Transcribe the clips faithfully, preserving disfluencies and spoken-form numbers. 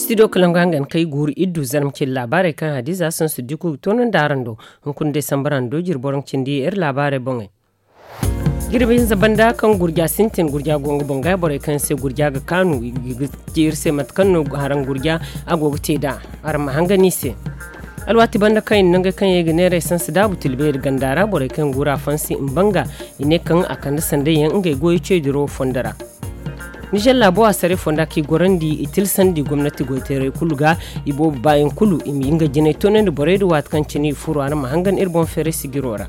Studio kalangu hangan kay guuru iddu zarma cindi laabaarey kaŋ hadiza sansu diku ga toonandi araŋ do. Hunkuna day sambara do jiri boro ga cindi iri laabaarey boŋey. Jirbi hinza banda kaŋ gurja sintin gurja go nga boŋ ga borey kaŋ se gurja ga kaanu i ga ci iri se mate kaŋ no haraŋ gurja a go ga te nd'a. Araŋ ma hangan i se. Alwaati banda kaŋ i na nangey kaŋ yaŋ i ga neera esansi daabu tilbeeri ganda ra borey kaŋ yaŋ guuru a fansi mbanga i ne kaŋ a kande sanday yaŋ ngey goyo ceediro fondo ra. Nizer laabo a saray fonda kaŋ i gorandi i tilsandi gomnati goyteerey kulu ga i boobo baayaŋ kulu i ma nga jinay toonandi borey din waati kaŋ cine i furo a na ma hangan iri boŋ feeray sijiro ra.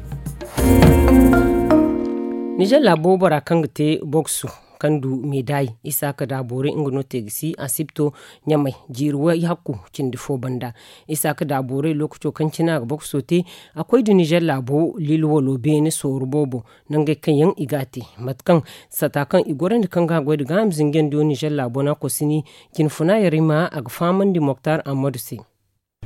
Nizer laabo bora kaŋ ga te boksu kaŋ du meedaay isaaka daaboorey nga no te ga si asibto ɲamay jiiri way hakku cindi fo banda. Isaaka daaboorey lookaco kaŋ cine a ga bokso te a koy da nizer laabo lilwalo beene sooru boobo nangey kaŋ yaŋ i ga a te mate kaŋ sata kaŋ i gorandi kaŋ ga a goy nda gaaham zinjandiyo nizer laabo no a kosini. Jinfuna yarima a ga fahamandi moktar ammadu se.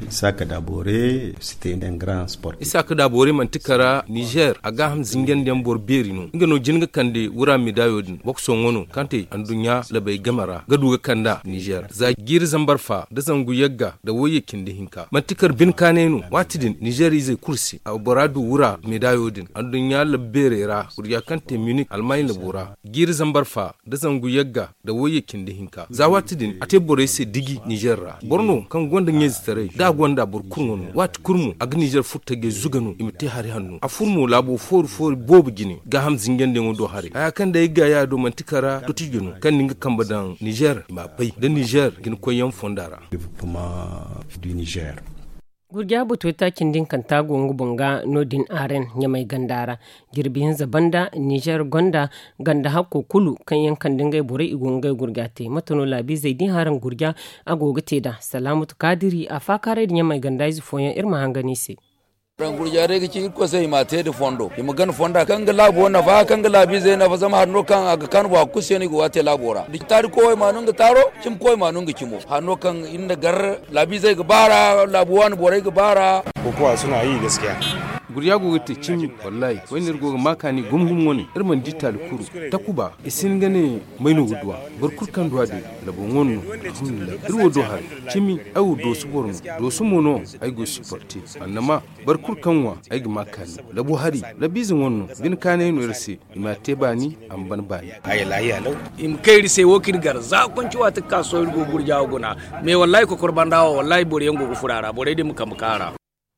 Isaaka daaboore site nda grand sport. Isaaka daaboore manti kara nizer a gaaham zinjandiyaŋ boro beeri no nga no jin ga kande wura medaayo din bokso ŋwa no kaŋ te anduɲɲa labey game ra ga du ga kand'a nizer za jiiri zambar fa nda zangu yagga nda wayye cindi hinka manti kara bine kaanay no waati din nizer izey kulu se a bora du wura medaayo din anduɲɲa labu beerey ra gurja kaŋ te minik almaaɲ labo ra jiiri zambar fa nda zangu yagga nda wayye cindi hinka za waati din a te borey se diji nizer ra boro no kaŋ gonda ɲeezitaray da a gonda boro kulu ŋwa no waati kulu mo a ga nizer furo tajey zuga no i ma te hari hanno a furo mo laabo foori foori boobo jine gaaham zinjandiyaŋo do haray haya kaŋ day ay ga ya do manti kara dotijo no kaŋ na nga kambe daŋ nizer i m'a bay nda nizer jinakoyyaŋ fonda ra. Gurja batuway taaci nda hinkanta go nga boŋ ga no- din aaren ɲamay ganda ra. Jirbi hinza banda nizer gonda ganda hakko kulu kaŋ yaŋ kande ngey borey i go ga ngey gurja te mate no laabiizey din haraŋ gurja a go ga te nd'a salaamatu kaadiri a faakaaray nda ɲamay ganda ize fooyaŋ iri ma hangan i se. Gurja day ga ci irkoy se i m'a te nda fondo i ma gana fonda kaŋ ga laabo nafa kaŋ ga laabiizey nafa zama hari no kaŋ a ga kaanu boro a ga kulu se no i go ga a te laabo ra da taari koy ma no nga taaro cimi koy ma no nga cimo hari no kaŋ iri na gar laabiizey ga baara laabu waani borey ga baara. Kokowa suna yi gaskiya. Gurya go ga te cimi wallahi wayne iri go ga ma kaani gum gum wane iri mana di taali kuru takuba i si hin ga ne may no ga duwa boro kulu kaŋ duwa din labo ŋwa no. Alhamdulillahi iri wo do hari cimi ay wo doosu boro no doosu mo no ay go supporte annama boro kulu kaŋ ŋwa ay ga ma kaani labo hari labiize ŋwa no bine kaanay no iri se i ma te baani a ma ban baani. Ay lahiya law. I ma kay iri se wo kaŋ iri gar za konci waati ga ka sohõ iri go gurja wo guna. Mais wallahi kokor banda wo wallahi boro yaŋ go ga furo a ra borey din ma kambe ka a ra.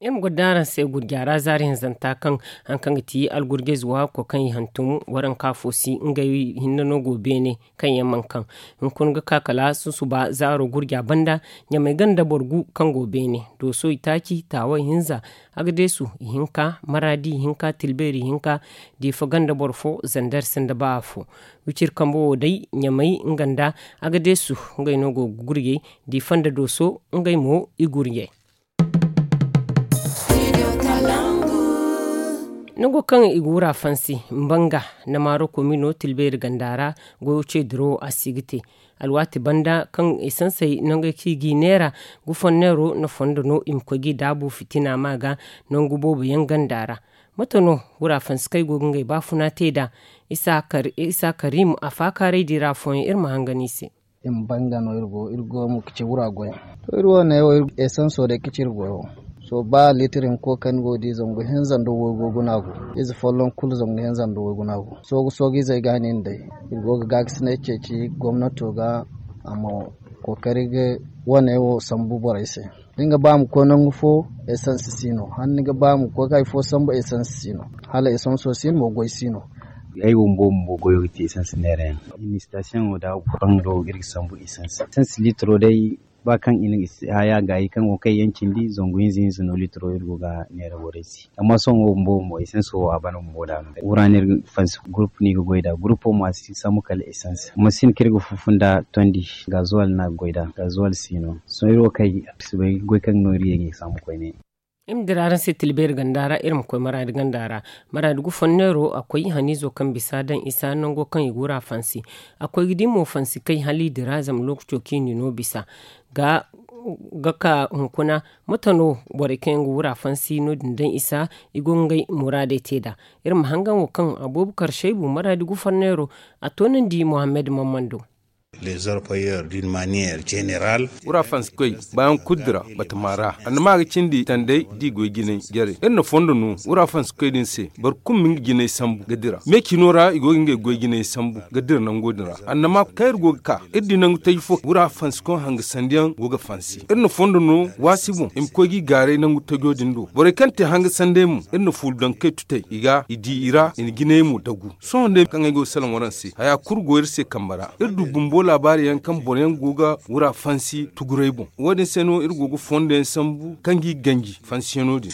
Iri ma goro da araŋ se gurja ra zaari hinzanta kaŋ hari kaŋ ga ti algurjayze waako kaŋ i hantum waranka fo si ngey hinne no go beene kaŋ yaŋ mana kaŋ hunkuna ga ka kala susuba zaaro gurja banda ɲamay ganda boro gu kaŋ go beene dooso itaaci taaway hinza agadeesu ihinka maraadi ihinka tilbeeri ihinka diifa ganda boro fo zander sinda ba afo. Wiciri kambe wo day ɲamay nga nda agadeesu ngey no go ga gurjay diifa nda dooso ngey mo i gurjay. Nango kaŋ i ga wura fansi mbanga nda maaro komino tilbeeri ganda ra goyo ce dirawo a si ga te alwaati banda kaŋ esansey nangey kaŋ i g'i neera gufonneero nda fondo no i ma koy g'i daabu fitina ma ga nangu boobo yaŋ ganda ra. Mate no wura fansi kaŋ ay go ga ngey baafuna te nd'a? Isa karim a faakaaray di ra afooyaŋ iri ma hangan i se. I ma banga no iri go iri go mo ga ci wura goy. To iri wo ne wo iri esanso day ga ci iri goyo. Sohõ ba litir hinko kaŋ ni go ga di zangu hinza nda waygu guna go. Ize folloŋ kulu zangu hinza nda waygu guna go soogu soogu izey ga ni nda day. Iri go ga gaakasinay ceeci gomnato ga a ma kookari ga wane wo sambu borey se. Da ni ga ba ma koy nangu fo, esans si no hala ni ga ba ma koy ga hari fo sambu esans si no. Hala esanso si no mo goy si no. Ay wo bumbo mo goyo ga te esans neera yaŋ. Administrasiyoŋo da bangaro iri ga sambu esans esans litiro day ba kaŋ i na haya gaayi kaŋ go kay yaŋ cindi zangu hinza hinza no litiro iri go ga neera borey se. Amma sohõ wo bumbo bumbo esans wo a bana bumbo da no wura no iri ga fansi gurupu no i ga goy nd'a gurupo mo a si sambu kala esans amma si hin kaŋ iri ga fufun nd'a tondi. Gazuwal no a ga goy nd'a gazuwal si no. Sohõ iri wo kay a bisa bay goy kaŋ no iri ye ga sambu koyne. Iri ma dira araŋ se tilbeeri ganda ra iri ma koy maraadi ganda ra. Maraadi gufonneero a koy haniizo kaŋ bisa daŋ isa nango kaŋ i ga wura fansi. A koy ga di mo fansi kay hala i dira zama lookaco kaŋ i n'i no bisa ga ga ka hunkuna. Mate no borey kaŋ yaŋ ga wura fansi no- din daŋ isa i go ga ngey muraadey te nd'a. Iri ma hangan wo kaŋ abubakar shaybu maraadi gufonneero a toonandi muhammad mammando. Les orpailleurs d'une manière générale. Wura fansikoy bayan kulu dira batama ra annama ga cindi tandey da i goy jinay jarey iri na fondo no wura fansikoy din se. Boro kulu ma nga jinay sambu ga dira me cino ra i go ga ngey goy jinay sambu ga dira nango din ra annama kaŋ iri go ga ka iri di nangu taji fo wura fansikoy hangasandiyaŋ go ga fansi iri na fondo no waasi boŋ i ma koy ga i gaaray nangu tajo din do borey kaŋ te hangasandey mo iri na fuulu daŋ kay tutay i ga i di i ra i na jinay mo dagu. Sohõ day kaŋ ay go ga salaŋ waraŋ se haya kulu go iri se kambe ra iri du bumbo laabaari yaŋ kaŋ boro yaŋ go ga wura fansi tuguray boŋ wo- din se no iri go ga fondo yaŋ sambu kaŋ ga i ganji fansiyano din.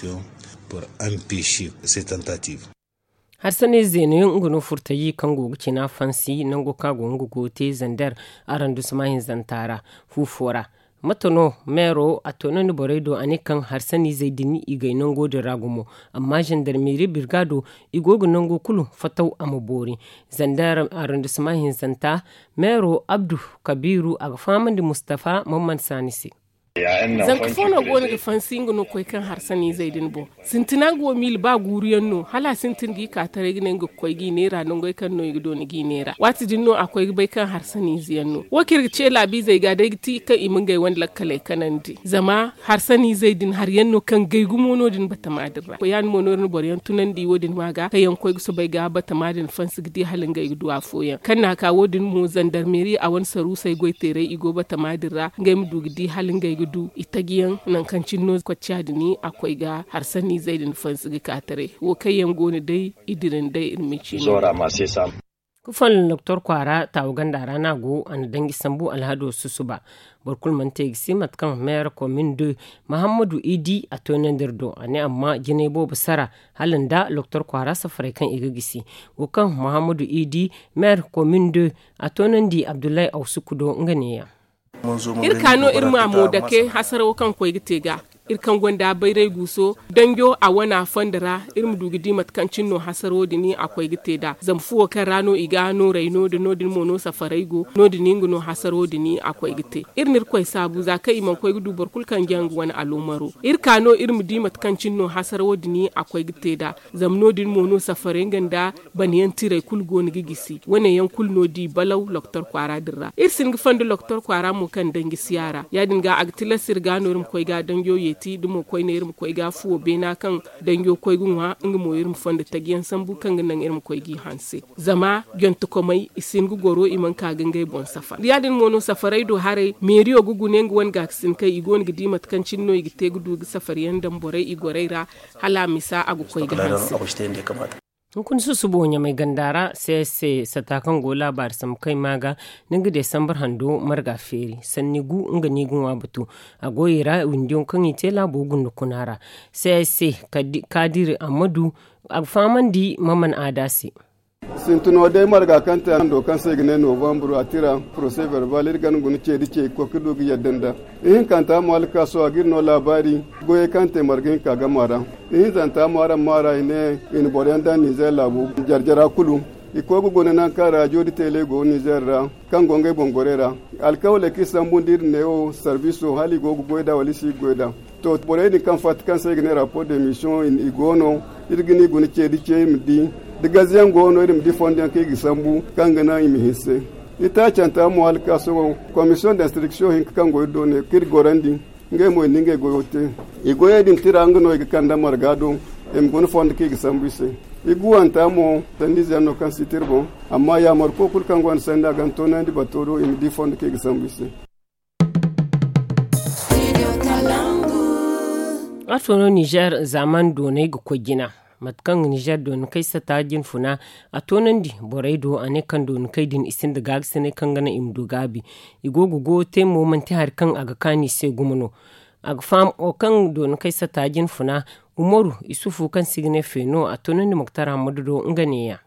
Harsanay zeeno yaŋ nga no furtaji kaŋ go ga cina fansi nango kaŋ a go nga go ga te zander arandusma hinzanta ra. Fu fo ra mate no meero a toonandi borey do a ne kaŋ harsaniizey din i gay nango din ra gumo. Amma zandarmeeri birgaado i go ga nango kulu fataw a ma boori. Zandar arrondissement hinzanta meero abdu kabiiru a ga fahamandi mustafa mamman saani se. Zanka fo no go no ga fansi nga no koy kaŋ harsaniizey din boŋ. Sintina nga wo miila ba guuru yaŋ no hala a sintin ga i ka taray ga ne nga ga koy ga i neera nangey kaŋ no i ga dooni ga i neera waati din no a koy ga bay kaŋ harsaniize yaŋ no wo kaŋ iri ga ce laabiizey ga day ga ti kaŋ i ma ngey wane lakkaley kanandi zama harsaniizey din hari yaŋ no kaŋ gay gumo no- din batama din ra ya- din mo no iri na boro yaŋ tunandi wo- din ma ga kaŋ yaŋ ga koy ga soobay ga batama din fansi ga di hala ngey ga du afooyaŋ kaŋ na a ka wo- din mo zandarmeeri a wane saruusey goy teeray i go batama din ra ngey ma du ga di hala ngey ga du i taji yaŋ nangu kaŋ cine no kocca din a koy ga harsaniizey din fansi ga ka taray wo kaŋ yaŋ go no day i dira nda iri ma ci no. Ga folloŋ doktor kwaara taawu ganda ra no a go a na danji sambu alhado susuba. Boro kulu mana te ga si mate kaŋ meera komin de mahammadu idi a toonandi iri do a ne amma jinay boobo sara hala nda doktor kwaara safaray kaŋ i ga gisi. Wo kaŋ mahammadu idi meera komin de a toonandi abdullahi awsuku do nga neeya. Iri ka no iri ma mo dake hasarawo kaŋ koy ga te ga iri kaŋ gonda bayray guuso danjo a wana fondo ra iri ma du ga di mate kaŋ cine no hasaro din a koy ga te nd'a zama fuwo kaŋ ra no i ga nooray no- din no- din mo no safaray go no- din nga no hasaro din a koy ga te. Iri na irkoy saabu za kaŋ i mana koy ga du boro kulu kaŋ jaŋ ga wane aloomaro iri ka no iri ma di mate kaŋ cine no hasaro din a koy ga te nd'a zama no- din mo no safaray nga nda bana yaŋ tiray kulu go no ga gisi wane yaŋ kulu no di balaw loktor kwaara din ra iri si hin ga fondo loktor kwaara mo kaŋ danji si a ra ya- din ga a ga tilas iri ga no iri ma koy ga danjo yeeti da mo koyne iri ma koy ga fuwo beena kaŋ danjo koy ga ŋwa nga mo iri ma fondo taji yaŋ sambu kaŋ ga naŋ iri ma koy g'i hanse. Zama jontokomey i si hin ga goro i mana ka ga ngey boŋ safar ya- din mo no safaray do haray meeriyo ga gune nga wane gaakasin kaŋ i go no ga di mate kaŋ cine no i ga te ga du ga safar yaŋ daŋ borey i gorey ra hala a misa a ga koy ga hanse. Hunkuna susubo ɲamay ganda ra c s c sata kaŋ go laabaari sambu kaŋ i ma ga ninga desambar hando marga feeri sanni gu nga no i ga ŋwa batu. A go i ra windiyaŋ kaŋ i te laabo gunda kuna ra c s c kaadiri ammadu a ga fahamandi maman aada se. Sintina day marga kaŋ te hando kaŋ se i ga ne novambur a tira procès verbal iri gana guna ce da ce ga koy ga du ga yadda nda ihinkanta mo alkaaso a ga iri no laabaari goyey kaŋ te marga hinka gama ra. Ihinzanta mo araŋ ma ra i ne i na boro yaŋ daŋ nizer laabu jare jara kulu i koy ga guna nangu kaŋ raajo da teele go nizer ra kaŋ go ngey boŋ gorey ra. Alkawaley kaŋ i sambu nda iri neewo sarbiso hala i go ga goy nd'a wala i si ga goy nd'a. To borey din kaŋ fatta kaŋ se i ga ne rapport de mission i go no iri ga ni guna ce da ce i ma di da gaze yaŋ go no iri ma di fondo yaŋ kaŋ i ga sambu kaŋ ga naŋ i ma hinse. Itaacanta mo hala ka sohõ commission d'instruction hinka kaŋ go iri do ne kaŋ iri gorandi ngey mo i na ngey goyo te. I goyey din tira nga no i ga kande marga do i ma guna fondo kaŋ i ga sambu i se. I guwanta mo sandiize yaŋ no kaŋ si tira boŋ amma yaamarko kulu kaŋ gonda sanda a ga ni toonandi bato do i ma di fondo kaŋ i ga sambu i se. Waato no nizer zaaman doonay ga koy jina mate kaŋ nizer dooni kay sata jinfuna a toonandi borey do a ne kaŋ dooni kay din i sinda gaabisinay kaŋ ga naŋ i ma du gaabi. I go ga goyo te mo manti hari kaŋ a ga kaanu i se gumo no. A ga faham wo kaŋ dooni kay sata jinfuna umaru isufu kaŋ se i ga ne feeno a toonandi moktar hammadu do nga neeya.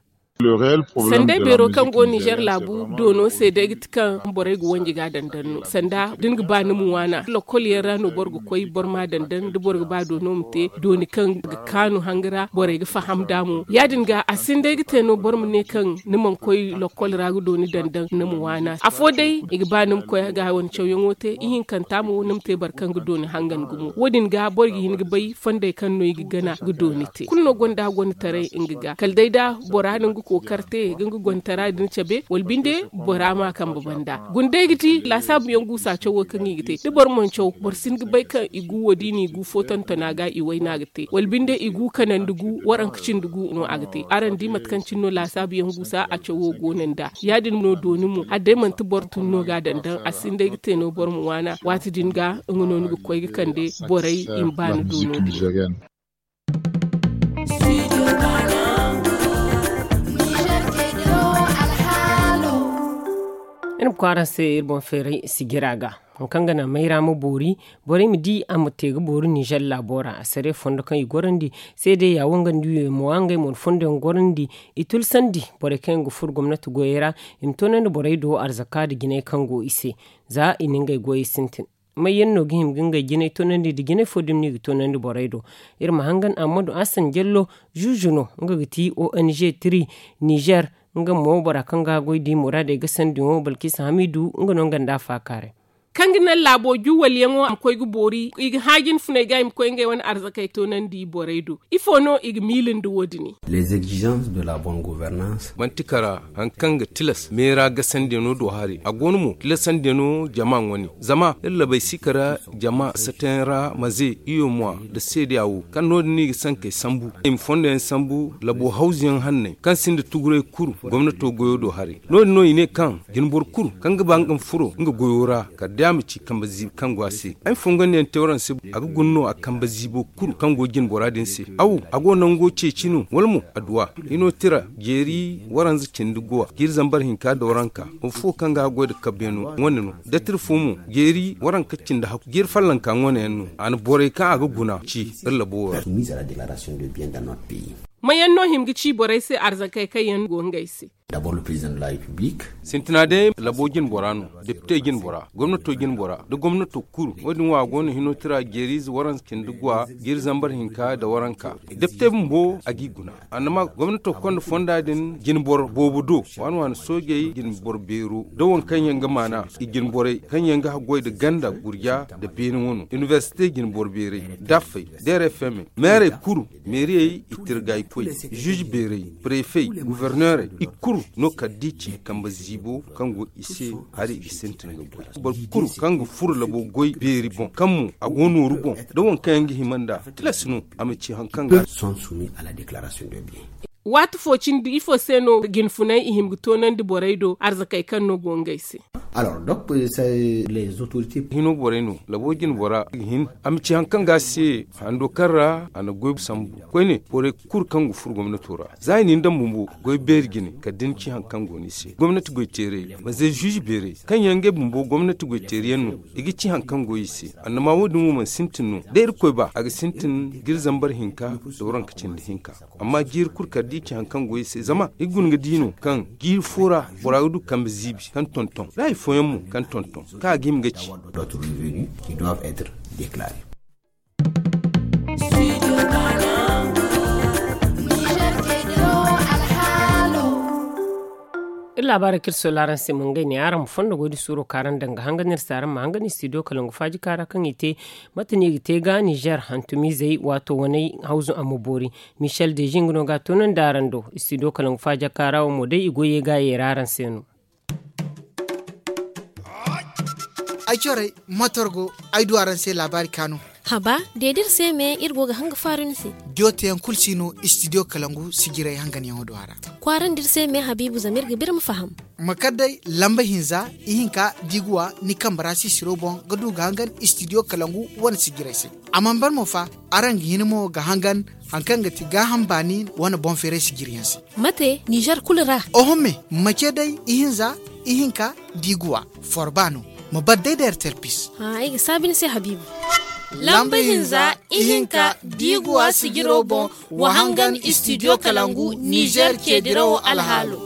Sanday beero kaŋ go nizer laabu doono se day ga ti kaŋ borey ga wanji ga dandan no sanda da ni ga ba ni ma waana lokol yaŋ ra no boro ga koy boro ma dandan da boro ga ba doono ma te dooni kaŋ ga kaanu hanga ra borey ga faham nd'a mo ya- din ga a sinda ay ga te no boro ma ne kaŋ ni mana koy lokol ra ga dooni dandan ni ma waana afo day i ga ba ni ma koy ga wane cawyaŋo te ihinkanta mo ni ma te boro kaŋ ga dooni hangan gumo wo- din ga boro ga hin ga bay fondey kaŋ no i ga gana ga dooni te kulu no gonda a gonda taray nga ga kala day da bora no nga. Kookar te ga nga gontara din cabe wala binde bora ma kambe banda. Gunday ga ti laasaabu yaŋ guusa cawo kaŋ i ga te da boro mana caw boro si hin ga bay kaŋ i gu wo da i n'i gu fo tontona ga i wayna ga te wala binde i gu kanandi gu waranka cindi gu no a ga te. Araŋ di mate kaŋ cine no laasaabu yaŋ guusa a cawo go no nd'a. Ya- din no dooni mo hala day manti boro tun no ga a daŋ daŋ a si hin day ga te no boro ma waana waati din ga nga no ni ga koy ga kande borey i ma ba ni doono din. Iri ma kwaara se iri boŋ feeray sijira ga. Haŋ kaŋ ga naŋ mayra ma boori borey ma di a ma te ga boori nizer laabo ra a sare fondo kaŋ i gorandi. Seede ya wo nga nda wiyo mo wa ngey mo na fondo yaŋ gorandi. I tulsandi borey kaŋ yaŋ ga furo gomnati goyey ra i ma toonandi borey do arzaka nda jinay kaŋ go i se. Za i na ngey goyey sintin. May yaŋ no ga hima ga ngey jinay toonandi nda jinay fo dumi no i ga toonandi borey do? Iri ma hangan ammadu asan jallo zuuzu no nga ga ti ong tri nizer. Nga mo bora kaŋ ga goy di muraadey ga sandiyaŋo balkisa hamidu nga no nga nda a faakaaray. Kaŋ ga naŋ laabo juwalyaŋo a ma koy ga boori i ga hã jinfuney ga i ma koy ngey wane arzakey toonandi borey do. Ifo no i ga miila nda wo- din? Manti kara haŋ kaŋ ga tilas meera gasandiyano do hari a go no mo tilasandiyano jama ŋwane. Zama iri labay si kara jama satayaŋ ra maze iyo mwa nda seedeya wo kaŋ no- din no i ga sankey sambu i ma fondo yaŋ sambu labo hawzu yaŋ hanney kaŋ sinda tuguray kulu gomnato goyo do haray. No- din no i ne kaŋ jinboro kulu kaŋ ga ba nga ma furo nga goyo ra kala day a ma ci kambe ziibi kaŋ go a se. Ay ma fongandiyaŋ te waraŋ se a ga guna no a kambe ziibo kulu kaŋ go jinbora din se. Awo a go nango ceeci no wala mo adduwa hino tira jeeri waranza cindi guwa jiiri zambar hinka da waranka. Boro fo kaŋ ga a goy nda kabbeeno wane no dattir fo mo jeeri waranka cindi hakku jiiri fallanka wane yaŋ no a na borey kaŋ a ga guna ci iri labo wo ra. Mayaŋ no hima ga ci borey se arzakey kaŋ yaŋ go ngey se? Sintina day labo jinbora no depite jinbora gomnato jinbora nda gomnato kulu wo- din wo a go no hino tira jeeriize waranza cindi guwa jiiri zambar hinka nda waranka. Depite bumbo a g'i guna annama gomnato konda fonda din jinboro boobo do waani waani soojey jinboro beero da waŋ kaŋ yaŋ ga maana i jinborey kaŋ yaŋ ga haggoy nda ganda gurja nda beene wano inibersite jinboro beerey daffey da rfm meerey kulu meeriyey i tirgaykoy ziize beerey prefey guverneerey i kulu no kala da i ci kambe ziibo kaŋ go i se hari i ga sintin ga goy boro kulu kaŋ ga furo labo goy beeri boŋ kaŋ mo a go nooru boŋ da waŋ kaŋ yaŋ ga hima nd'a tilas no a ma ci hari kaŋ ga. Waati fo cindi ifo se no jinfunay i hima ga toonandi borey do arzakey kaŋ no go ngey se? Hino borey no labo jinbora ga hin a ma ci hari kaŋ ga a se hando kaŋ ra a na goy sambu koyne borey kulu kaŋ ga furo gomnato ra za i na ni daŋ bumbo goy beeri jine kala da ni ci hari kaŋ go no i se gomnati goyteerey manze ziize beerey kaŋ yaŋ ngey bumbo gomnati goyteeri yaŋ no i ga ci hari kaŋ go i se annama wo- din wo mana sintin no da irkoy ba a ga sintin jiiri zambar hinka da waranka cindi hinka. Amma jiiri kulu kala da i ci hari kaŋ go i se zama i ga guna ga di no kaŋ jiiri fo ra bora ga du kambe ziibi kaŋ tonton da hari fooyaŋ mo kaŋ tonton kaŋ a ga hima ga ci. Iri laabaarey kaŋ iri sola araŋ se ma ngey ne araŋ ma fondo goy da suuro kaŋ araŋ daŋ ga hangan iri se araŋ ma hangan studio kalangu faaji kaara kaŋ i te mate no i ga te ga nizer hantumizey waato waney hawzu a ma boori. Michel deji nga no ga a toonandi araŋ do studio kalangu faaji kaara wo mo day i goyey ga a yeera araŋ se no. Ay corey matorgo ay du araŋ se laabaari kaanu. Haba deedi iri se me iri go ga hanga faaru ni se. Diyo teyaŋ kulu si no studio kalangu sijiray hanganyaŋo do a ra. Kwaarandi iri se me habiibu zama iri ga biri ma faham. Ma kar day lamba hinza ihinka diiguwa ni kambe ra sisiro boŋ ga du ga hangan studio kalangu wane sijiray se. A mana ban mo fa araŋ ga hin mo ga hangan hari kaŋ ga ti gaaham baani wane boŋ feeray sijiriyaŋ se. Mate nizer kulu ra? Oho me ma ce day ihinza ihinka diiguwa forba no. Ma bar day da ertel pis. Ay ga saabi ni se habiibu. Lamba hinza ihinka diiguwa sijiro boŋ wa hangan studio kalangu nizer ce dirawo alhaalo.